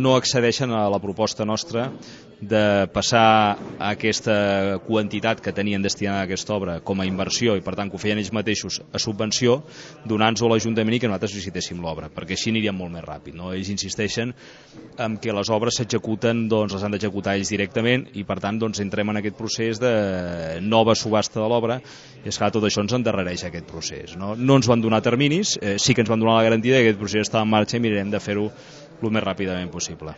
no accedeixen a la proposta nostra de passar aquesta quantitat que tenien destinada a aquesta obra com a inversió, i per tant que ho feien ells mateixos, a subvenció, donant-nos a l'Ajuntament i que nosaltres licitéssim l'obra, perquè així aniríem molt més ràpid, no? Ells insisteixen en que les obres s'executen, doncs les han d'executar ells directament, i per tant doncs entrem en aquest procés de nova subhasta de l'obra, i esclar, tot això ens endarrereix aquest procés, no? No ens van donar terminis, sí que ens van donar la garantia que aquest procés estava en marxa i mirarem de fer-ho el més ràpidament possible.